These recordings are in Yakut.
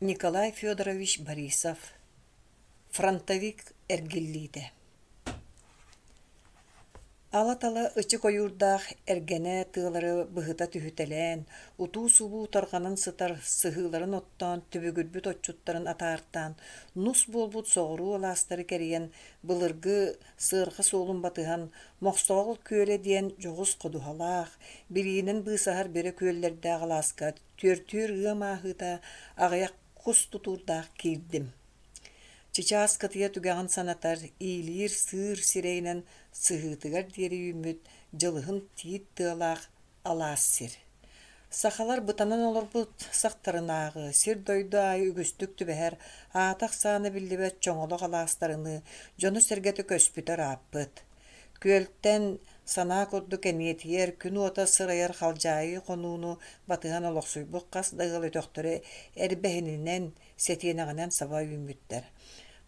Николай Федорович Борисов Фронтовик эргиллиитэ Ала-тала ычык ойуурдаах эргэнэ тыалары быһыта түһүтэлээн, утуу-субуу тарҕанан сытар сыһыыларын оттоон түбүгүрбүт отчуттарын атаартаан, нус буолбут соҕуруу алаастары кэрийэн, былыргы сыарҕа суолун батыһан, Мохсоҕол күөлэ диэн дьоҕус ходуһалаах, билиинэн быысаһар бөрө күөллэрдээх алааска түөртүүр ыам ааһыыта аҕыйах кус тутуурдаах киирдим. Чычаас кытыйа түгэҕин санатар, иилиир сыыр сирэйинэн сыһыытыгар диэри үүммүт дьылыһын тиит тыалаах алаас сир. Сахалар бытанан олорбут сахтарынааҕы сир-дойду аайы үгүстүк түбэһэр аата-ахсаана биллибэт чоҥолох алаастарыныы дьону-сэргэтэ көспүтэ ырааппыт. Күөлтэн санаа курдук эниэтийэр, күн уота сырайар халдьаайы хонууну батыһан олохсуйбут хас да ыал өтөхтөрө эрбэһининэн, сэтиэнэҕинэн саба үүммүттэр.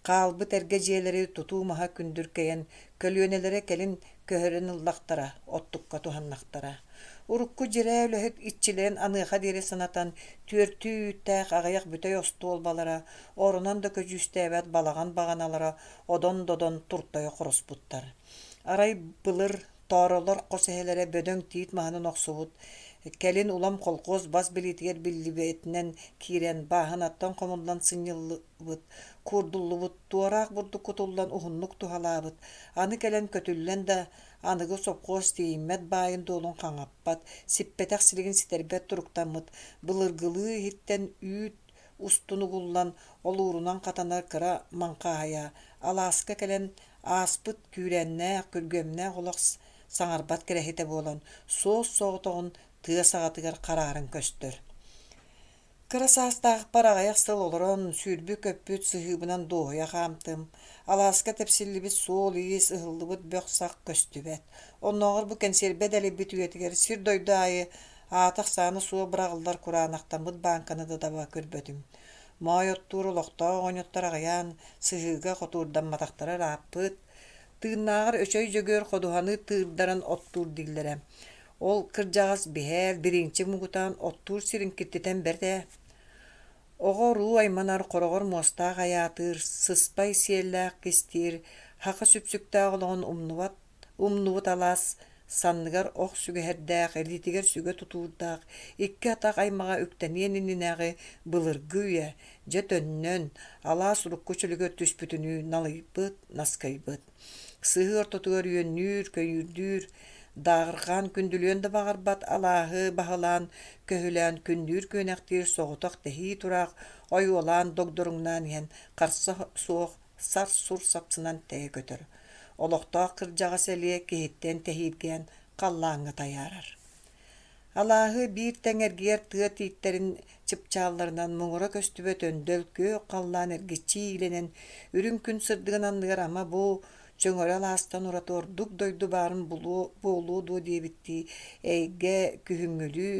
Хаалбыт эргэ дьиэлэри тутуу маһа күндүркэйэн, көлүөнэлэрэ кэлин көһөрөн ыллахтара, оттукка туһаннахтара. Урукку дьирээ үлэһит иччилэрин аныаха диэри санатан, түөртүү үүттээх аҕыйах бүтэй остуолбалара, оронон да көдьүүстээбэт балаҕан баҕаналара одон-додон туртайа хороспуттар. Арай былыр тооролор хос эһэлэрэ бөдөҥ тиит маһынан охсубут, кэлин улам колхуос бас билиитигэр биллибэтинэн киирэн, бааһынаттан хомуллан сынньыллыбыт, куурдуллубут, туораах бурдук кутуллан уһуннук туһалаабыт, аны кэлэн көтүллэн да аныгы сопхуос тиийиммэт баайын-дуолун хаҥаппат, сиппэтэх силигин ситэрбэт туруктаммыт, былыргылыы иһиттэн үүт устун угуллан, олуурунан хатанар кыра маҥхааһайа алааска кэлэн ааспыт күүрээннээх, күргүөмнээх олох саҥарбат кэрэһитэ буолан, суос-соҕотоҕун тыа саҕатыгар харааран көстөр. Кыра саастаахпар аҕыйах сыл олорон, сүүрбүт-көппүт сыһыыбынан дуоһуйа хаамтым. Алааска тэпсиллибит суол-иис, ыһыллыбыт бөх-сах көстүбэт. Оннооҕор бу кэнсиэрбэ дэлэйбит үйэтигэр сир-дойду аайы аата-ахсаана суох быраҕыллар кураанахтаммыт бааҥканы да таба көрбөтүм. Моой оттуур олохтоох оҕонньоттор аҕыйаан, сыһыыга хотуурдамматахтара ырааппыт. Тыыннааҕар Өчөй Дьөгүөр ходуһаны тыырдаран оттуур дииллэрэ. Ол кырдьаҕас биһээл, бириинчик муҥутаан оттуур сирин киртитэн бэрт ээ. Оҕо-уруу айманар, хороҕор муостаах айаатыыр, сыспай сиэллээх кистиир, һаха сүпсүктээх олоҕун умнубат Умнубут алаас санныгар ох сүгэһэрдээх, илиитигэр сүгэ тутуурдаах, икки атах аймаҕа үктэниэн иннинээҕи былыргы үйэ, дьэ төннөн, алаас урукку чөлүгэр түспүтүнүү налыйбыт, наскыйбыт. Сыһыы ортотугар үөннүүр, көйүүрдүүр, дааҕырҕаан күндүлүөн да баҕарбат алааһы баһылаан, көһүлээн күннүүр-күөнэхтиир соҕотох тэһии тураах ойуолаан догдоруҥнаан иһэн харса суох сар-сур сапсынан тэйэ көтөр. Олохтоох кырдьаҕас элиэ киһиттэн тэһииргээн халлааҥҥа тайаарар. Алааһы биир тэҥ эргийэр тыа тииттэрин чыпчаалларынан муҥура көстүбэт өндөл күөх халлаан эргиччи иилэнэн, үрүҥ күн сырдыгын анныгар ама бу чөҥөрө алаастан ураты ордук дойду баарын булуо буолуо дуо диэбиттии эйгэ күһүҥҥүлүү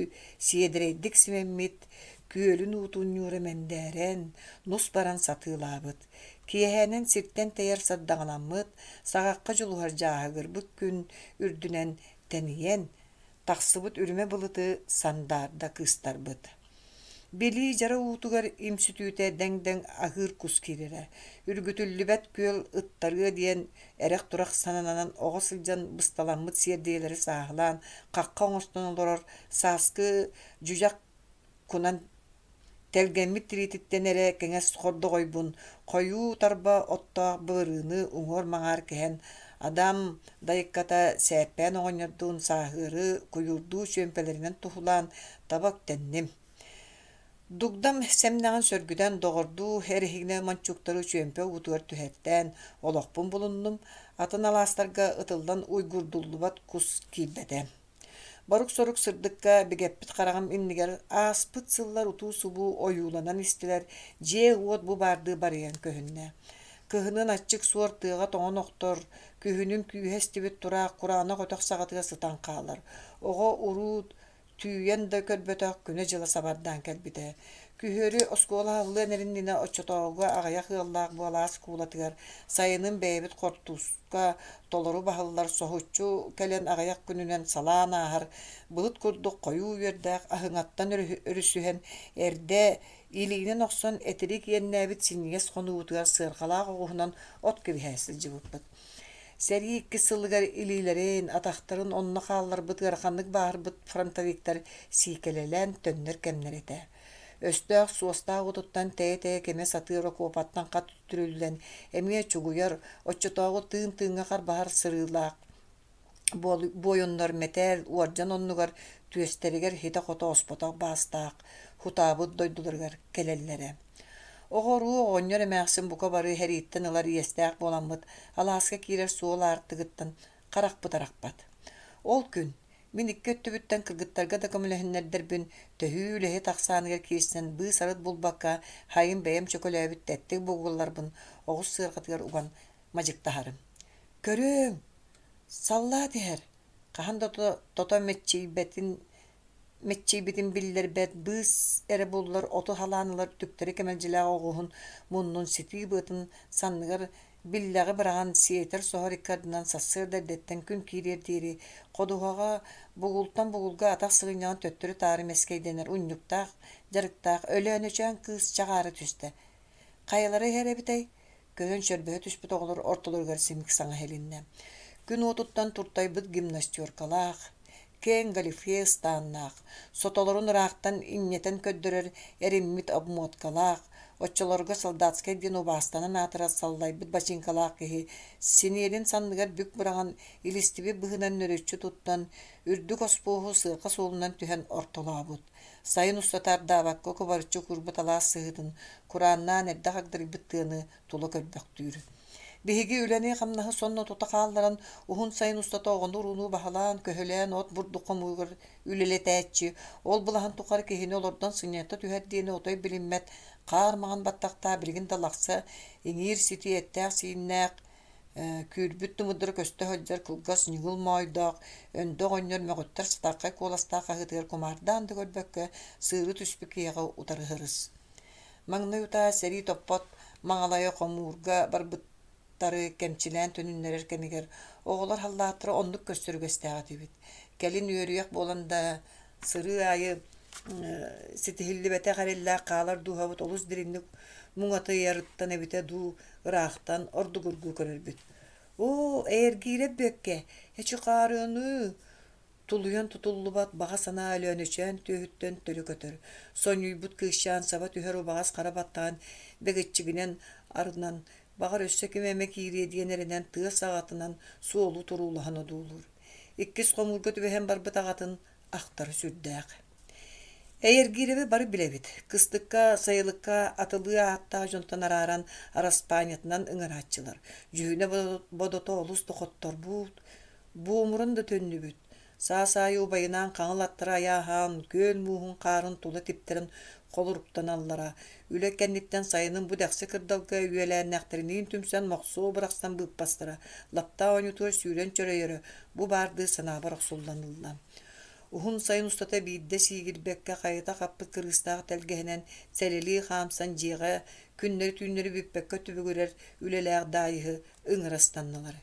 сиэдэрэйдик симэммит күөлүн уутун ньуура мэндээрэн, нус баран сатыылаабыт. Киэһээнэн сиртэн тэйэр сардаҥаламмыт, саҕахха дьулуһар дьааһыгырбыт күн үрдүнэн тэнийэн, тахсыбыт үрүмэ былыты сандаарда кыыстарбыт. Билии дьара уутугар имсүтүүтэ дэҥ-дэҥ аһыыр кус киирэрэ, үргүтүллүбэт күөл ыттарыа диэн эрэх-турах сананан оҕо сылдьан бысталаммыт сиэрдийэлэри сааһылаан хахха оҥостон олорор сааскы дьүдьэх кунан тэлгэммит тириититтэн эрэ кэҥэс хордоҕойбун хойуу тарба оттоох былырыыны уҥуор-маҥаар кэһэн Адам дайыкката Сээппээн оҕонньордуун сааһыары куйуурдуу чүөмпэлэринэн туһулаан таба үктэнним. Дугдам сэмнэҕин сөргүтэн доҕордуу эрэһиинэ мончууктары чүөмпэ уутугар түһэртээн олохпун булуннум, атын алаастарга ытыллан уйгурдуллубат кус киирбэтэ. Борук-сорук сырдыкка бигэппит хараҕым иннигэр ааспыт сыллар утуу-субуу ойууланан истилэр, дьиэ-уот бу баардыы барыйан көһүннэ. Кыһынын аччык суор тыаҕа тоҥон охтор, күһүнүн күүһэ эстибит тураах кураанах өтөх саҕатыгар сытан хаалар. Оҕо уруу Түүйэн да көрбөтөх күнэ-дьыла сабардаан кэлбитэ. Күһүөрү оскуола аһыллыан эриннинэ оччотооҕуга аҕыйах ыаллаах буолаас куулатыгар сайынын бэйэбит хортууска толору баһыллар соһуччу кэлэн аҕыйах күнүнэн салаан ааһар былыт курдук хойуу үөрдээх аһыҥаттан өрүсүһэн эрдэ илиинэн охсон этирик иэннээбит синньигэс хонуубутугар сыарҕалаах оҕуһунан от кэбиһэ сылдьыбыппыт. Сэрии иккис сылыгар илиилэрин, атахтарын онно хаалларбыт ыараханнык бааһырбыт фронтовиктар сиикэлэлээн төннөр кэмнэрэ этэ. Өстөөх суостаах уотуттан тэйэ-тэйэ кимэ сатыыр окуопаттан хат үтүрүллэн, эмиэ чугуйар, оччотооҕу тыын-тыыҥҥа харбаһар сырыылаах буойуннар мэтээл, уордьан оннугар түөстэригэр ситэ-хото оспотох баастаах, хутаабыт дойдуларыгар кэлэллэрэ. Оҕо-уруу оҕонньор эмээхсин бука бары сэрииттэн ылар иэстээх буоламмыт, алааска киирэр суол аартыгыттан харахпыт арахпат. Ол күн мин икки өттүбүттэн кыргыттарга да көмөлөһүннэрдэрбин, төһүү үлэһит ахсааныгар киирсэн быыс-арыт булбакка, хайым бэйэм чөкөлөөбүт тэттик бугулларбын оҕус сыарҕатыгар уган мадьыктаһарым. Көрүөҥ, саллаат иһэр, хаһан да тото мэччийбэтин мэччийбитин биллэрбэт, быыс эрэ буллар оту халаан ылар түктэри кэмэлдьилээх оҕуһун муннун ситии быатын санныгар биллэҕи быраҕан сиэтэр-соһор икки ардынан сарсыарда эрдэттэн күн киириэр диэри ходуһаҕа бугултан бугулга атах сыгынньаҕын төттөрү-таары мэскэйдэнэр унньуктаах дьарыктаах Өлөөнөчөөн кыыс чаҕаара түстэ. Хайалара иһэр эбитэй? Көһөн чөрбөһө түспүт оҕолор ортолоругар симик саҥа иһилиннэ. Күн уотуттан туртайбыт гимнастеркалаах, киэҥ галифе ыстааннаах, сотолорун ыраахтан инньэтэн көрдөрөр эриммит обмоткалаах, оччолорго солдатскай диэн убаастанан аатырар саллайбыт бачыыҥкалаах киһи синиэлин санныгар бүк быраҕан, илистибит быһыынан нөрүччү туттан, үрдүк оспуоһу сыарҕа суолунан түһэн ортолообут. Сайын устата ардаабакка кубарыччы куурбут алаас сыһыытын курааннаан эрдэ хагдарыйбыт тыаны тула көрбөхтүүр. Биһиги үлэни-хамнаһы сонно тута хаалларан, уһун сайын устата оҕону-урууну баһылаан-көһүлээн от-бурдук хомууругар үлэлэтээччи, ол былаһын тухары киһини олордон сынньата түһэр диэни отой билиммэт хаар маҥан баттахтаах билигин да лахса иҥиир-ситии эттээх-сииннээх Күүрбүт тымырдара көстө сылдьар кылгас ньыгыл моойдоох, өндө оҕонньор мөҕүттэр сытархай куоластаах хаһыытыгар кумаардаан да көрбөккө, сыыры түспүт киһиэхэ утары сырыс. Маҥнай утаа сэрии топпот маҥалайа хомуурга барбыттары кэмчилээн төнүннэрэр кэмигэр оҕолор халлааттара оннук көстөр үгэстээх этибит. Кэлин үөрүйэх буолан да, сырыы аайы ситиһиллибэтэх эрэллээх хаалар дууһабыт олус дириҥник муҥатыйарыттан эбитэ дуу, ыраахтан ордугургуу көрөрбүт. Оо, эйэргиирэ Бүөккэ, эчи хаарыаныы, тулуйан тутуллубат баҕа санаа Өлөөнөчөөн түөһүттэн төлө көтөр, сонньуйбут кыысчаан саба түһэр убаҕас хара баттаҕын бэгиччигинэн арынан, баҕар өссө ким эмэ киириэ диэн эрэнэн тыа саҕатынан суолу туруулаһан одуулуур. Иккис хомуурга түбэһэн барбыт аҕатын ахтара сүрдээх. Эйэргиирэби бары билэбит. Кыстыкка, сайылыкка атылыы ааттаах дьонтон арааран араспаанньатынан ыҥырааччылар. Дьүһүнэ-бодото олус да хотторбут, буомуран да төннүбүт. Саас аайы убайынаан хаҥыл аттара айааһаан, күөл мууһун хаарын тула типтэрэн холоруктаналлара. Үлэ кэнниттэн сайынын бу дэхси кырдалга үөлээннээхтэриниин түмсэн мохсуо бырахсан быыппастара, лаптаа оонньуутугар сүүрэн чөрөйөрө бу баардыы санаабар охсуллан ылла. Уһун сайын устата биирдэ сиигирбэккэ хайыта хаппыт кырыыстаах тэлгэһэнэн сэлэлии хаамсан дьиэҕэ күннэри-түүннэри бүппэккэ түбүгүрэр үлэлээх Даайыһы ыҥыра ыстаннылар.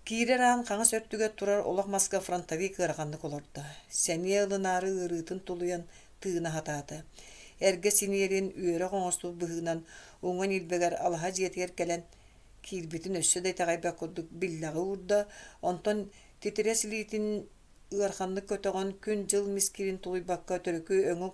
Киирэр аан хаҥас өртүгэр турар олох маска фронтовик ыараханнык олордо. Сэниэ ылынаары ыарыытын тулуйан тыына сатаата. Эргэ синиэрин үөрэх оҥостубут быһыынан уҥа ньилбэгэр алаһа дьиэтигэр кэлэн киирбитин өссө да итэҕэйбэт курдук биллэҕи уурда, онтон титирэс илиитин ыараханнык көтөҕөн, күн-дьыл мискиирин тулуйбакка төрүкү өҥө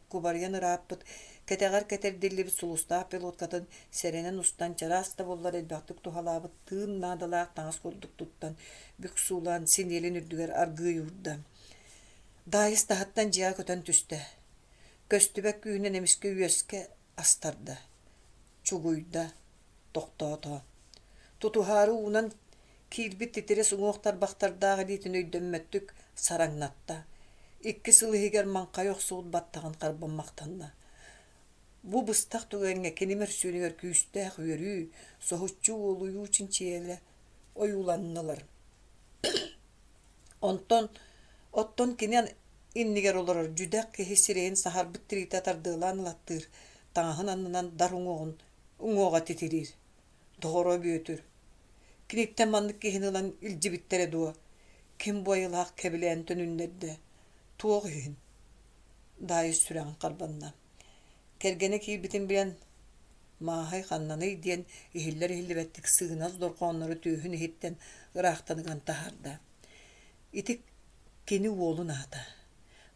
кубарыйан ырааппыт, кэтэҕэр кэтэрдиллибит сулустаах пилоткатын сэрэнэн устан, чараас да буоллар элбэхтик туһалаабыт тыын наадалаах таҥас курдук туттан, бүк суулаан, синиэлин үрдүгэр аргыый уурда. Даайыс таһыттан дьиэҕэ көтөн түстэ. Көстүбэт күүһүнэн эмискэ үөскэ астарда, чугуйда, тохтоото. Тутуһаары уунан киирбит титирэс уҥуох тарбахтардаах илиитин өйдөммөттүк сараҥнатта. Икки сыл иһигэр маҥхайа охсубут баттаҕын харбаммахтанна. Бу быстах түгэҥҥэ кини мөрсүөнүгэр күүстээх үөрүү, соһуччу уолуйуу чинчийэлэ ойууланнылар. Онтон оттон кини Иннигэр олорор дьүдэх киһи сирэйин саһарбыт тириитэ тардыалаан ылаттыыр, таҥаһын аннынан дар уҥуоҕун уҥуоҕа титириир. Доҕоро Бүөтүр, киниттэн маннык киһини ылан илдьибиттэрэ дуо? Ким бу айылаах кэбилээн төнүннэрдэ? Туох иһин? Даайыс сүрэҕин харбанна. Кэргэнэ киирбитин билэн, Мааһай ханнаный диэн иһиллэр-иһиллибэттик сыгынас дорҕооннору түөһүн иһиттэн ыраахтан ыган таһаарда. Ити кини уолун аата.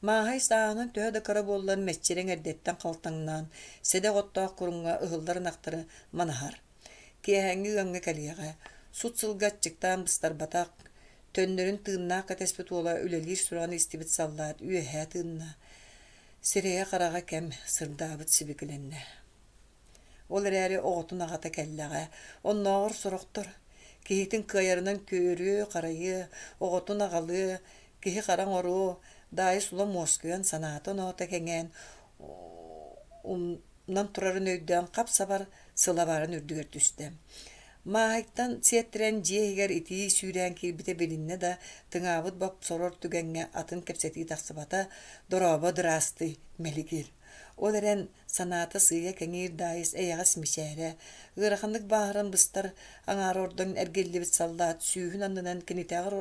Мааһай сааһынан төһө да кыра буоллар мэччирэҥ эрдэттэн халтаҥнаан, сэдэх оттоох куруҥҥа ыһыллар ынахтары манаһар. Киэһээҥҥи ыамҥа кэлиэҕэ, сут сылга аччыктаан быстарбатах, төннөрүн тыыннаах кэтэспит уола үлэлиир сураҕын истибит саллаат үөһээ тыынна, сирэйэ-хараҕа кэм сырдаабыт сибикилэннэ. Ол эрээри оҕотун аҕата кэллэҕэ, оннооҕор сорохтор киһитин кыайарынан көрүө-харайыа, оҕотун аҕалыа, киһи-хара оҥоруо, Даайыс улам уоскуйан, санаата-оноото кэҥээн, умнан турарын өйдөөн хап-сабар сылабаарын үрдүгэр түстэ. Мааһыйтан сиэттэрэн дьиэ иһигэр итии сүүрээн киирбитэ билиннэ да, тыҥаабыт бопсорор түгэҥҥэ атын кэпсэтии тахсыбата, «Дорообо, дыраастый, мэлигир». Ол эрэн Санаата сыыйа кэҥиир Даайыс эйэҕэс мичээрэ, ыараханнык бааһыран быстар аҥаара ордон эргиллибит саллаат сүүһүн аннынан кинитээҕэр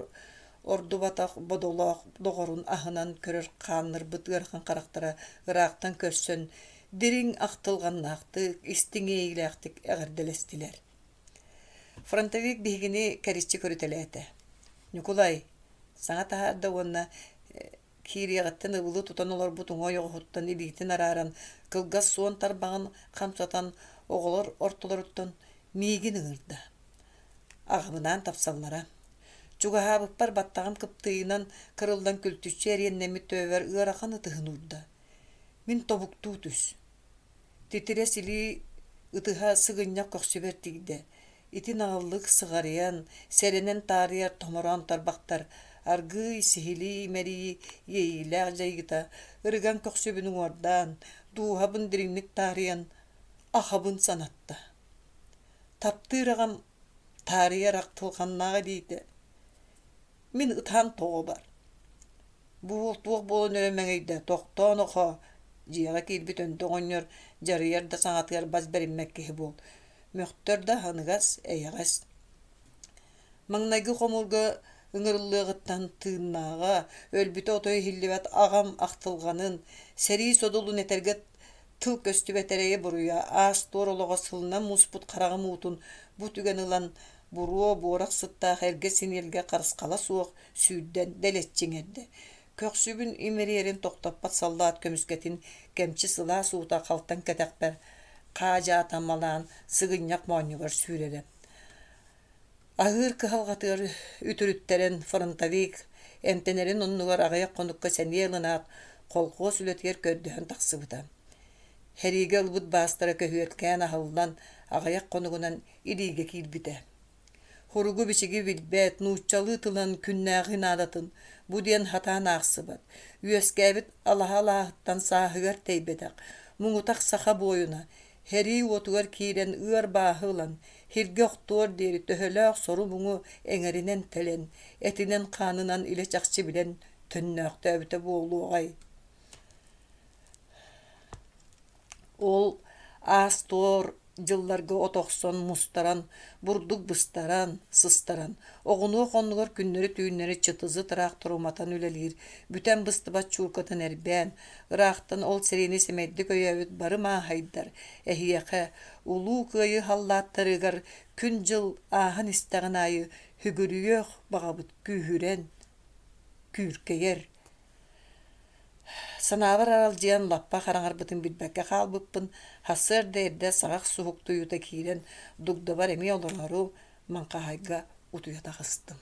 ордубатах бодолоох доҕорун аһынан көрөр хааннырбыт ыарахан харахтара ыраахтан көрсөн, дириҥ ахтылҕаннаахтык, истиҥ иэйиилээхтик эҕэрдэлэстилэр. Фронтовик биһигини кэриччи көрүтэлээтэ. «Ньукулай, саҥа таһаарда уонна Киириэҕиттэн ыбылы тутан олорбут уҥа ойоҕоһуттан илиитин арааран, кылгас суон тарбаҕын хамсатан, оҕолор ортолоруттан миигин ыҥырда. Аҕабынаан тапсаллара. Чугаһаабыппар баттаҕым кыптыыйынан кырыллан күлтүччү эриэннэммит төбөбөр ыарахан ытыһын уурда. Мин тобуктуу түс. Титирэс илии ытыһа сыгынньах көхсүбэр тиийдэ. Ити наҕыллык сыҕарыйан, сэрэнэн таарыйар томороон тарбахтар аргыый сиһилии имэрийии иэйиилээх дьайыыта ырыган көхсүбүн уҥуордаан, дууһабын дириҥник таарыйан, ахабын санатта. Таптыыр аҕам таарыйар ахтылҕаннаах илиитэ Мин ытаан тоҕо бар. Бу уол туох буолан эрэ мэҥийдэ, тохтоон охоо, дьиэҕэ киирбит өндөк оҕонньор дьарыйар да саҥатыгар бас бэриммэт киһи буол, мөхтөр да аһыныгас, эйэҕэс. Маҥнайгы хомуурга ыҥырыллыаҕыттан тыыннааҕа, өлбүтэ отой иһиллибэт аҕам ахтылҕанын, сэрии содулун этэргэ тыл көстүбэт эрэйэ-буруйа, аас-туор олоҕо сылынан муспут хараҕым уутун бу түгэн ылан буруо буорах сыттаах эргэ синиэлгэ харысхала суох сүүрдэн дэлэччи иҥэрдэ. Көхсүбүн имэрийэрин тохтоппот саллаат көмүскэтин кэмчи сылаас уута халтаҥ кэтэхпэр хаадьаа таммалаан сыгынньах моонньугар сүүрэрэ. Аһыыр кыһалҕатыгар үтүрүттэрэн фронтовик эмтэнэрин оннугар аҕыйах хонукка сэниэ ылынаат, колхуос үлэтигэр көрдөһөн тахсыбыта. Сэриигэ ылбыт баастара көһүөркээн аһыллан, аҕыйах хонугунан илиигэ киирбитэ. Суругу-бичиги билбэт, нууччалыы тылынан күннээҕи наадатын бу диэн сатаан аахсыбат, үөскээбит алаһа алааһыттан сааһыгар тэйбэтэх, муҥутах саха буойуна, сэрии уотугар киирэн ыар бааһы ылан, сиргэ охтуор диэри төһөлөөх сору-муҥу эҥэринэн тэлэн, этинэн-хаанынан илэ-чахчы билэн төннөөхтөөбүтэ буолуоҕай Ол аас-туор дьылларга от охсон, мустаран, бурдук быстаран, сыстаран, оҕунуох оннугар күннэри-түүннэри чытызы тыраахтар уматан үлэлиир, бүтэн быстыбат чуукатын эрбээн, ыраахтан ол сэриини сэмэйдик өйөөбүт бары мааһайдар, эһиэхэ, Улуу Кыайыы халлааттарыгар күн-дьыл ааһан истэҕин аайы сүгүрүйүөх баҕабыт күүһүрэн, күүркэйэр Санаабар аралдьыйан лаппа хараҥарбытын билбэккэ хаалбыппын, сарсыарда эрдэ саҕах суһуктуйуута киирэн, дугдабар эмиэ олороору маҥхааһайга утуйа таҕыстым.